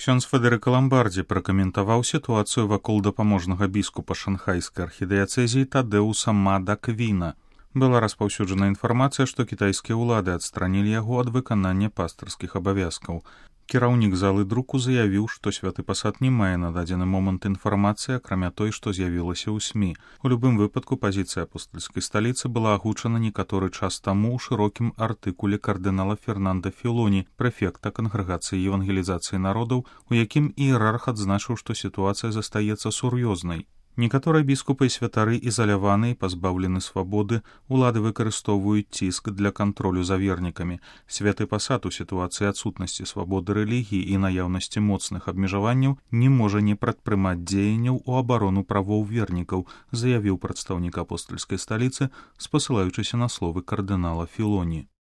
Ксёндз Федэрыка Ламбардзі пракаментаваў сітуацыю вакол дапаможнага біскупа шанхайскай архідыяцэзіі Тадэуса Мада Квіна. Была распаўсюджана інфармацыя, што кітайскія ўлады адстранілі яго ад выканання пастырскіх абавязкаў. Кіраўнік залы друку заявіў, што святы пасад не мае на дадзены момант інфармацыі, акрамя той, што з'явілася ў СМІ. У любым выпадку пазіцыя апостальскай сталіцы была агучана некаторы час таму ў шырокім артыкуле кардынала Фернанда Філоні, прэфекта кангрэгацыі евангелізацыі народаў, у якім іерарх адзначыў, што сітуацыя застаецца сур'ёзнай. Некаторыя біскупы і святары ізаляваны і пазбаўлены свабоды, улады выкарыстоўваюць ціск для кантролю за вернікамі. Святы пасад у сітуацыі адсутнасці свабоды рэлігіі і наяўнасці моцных абмежаванняў не можа не прадпрымаць дзеянняў у абарону правоў вернікаў, заявіў прадстаўнік апостальскай сталіцы, спасылаючыся на словы кардынала Філоні.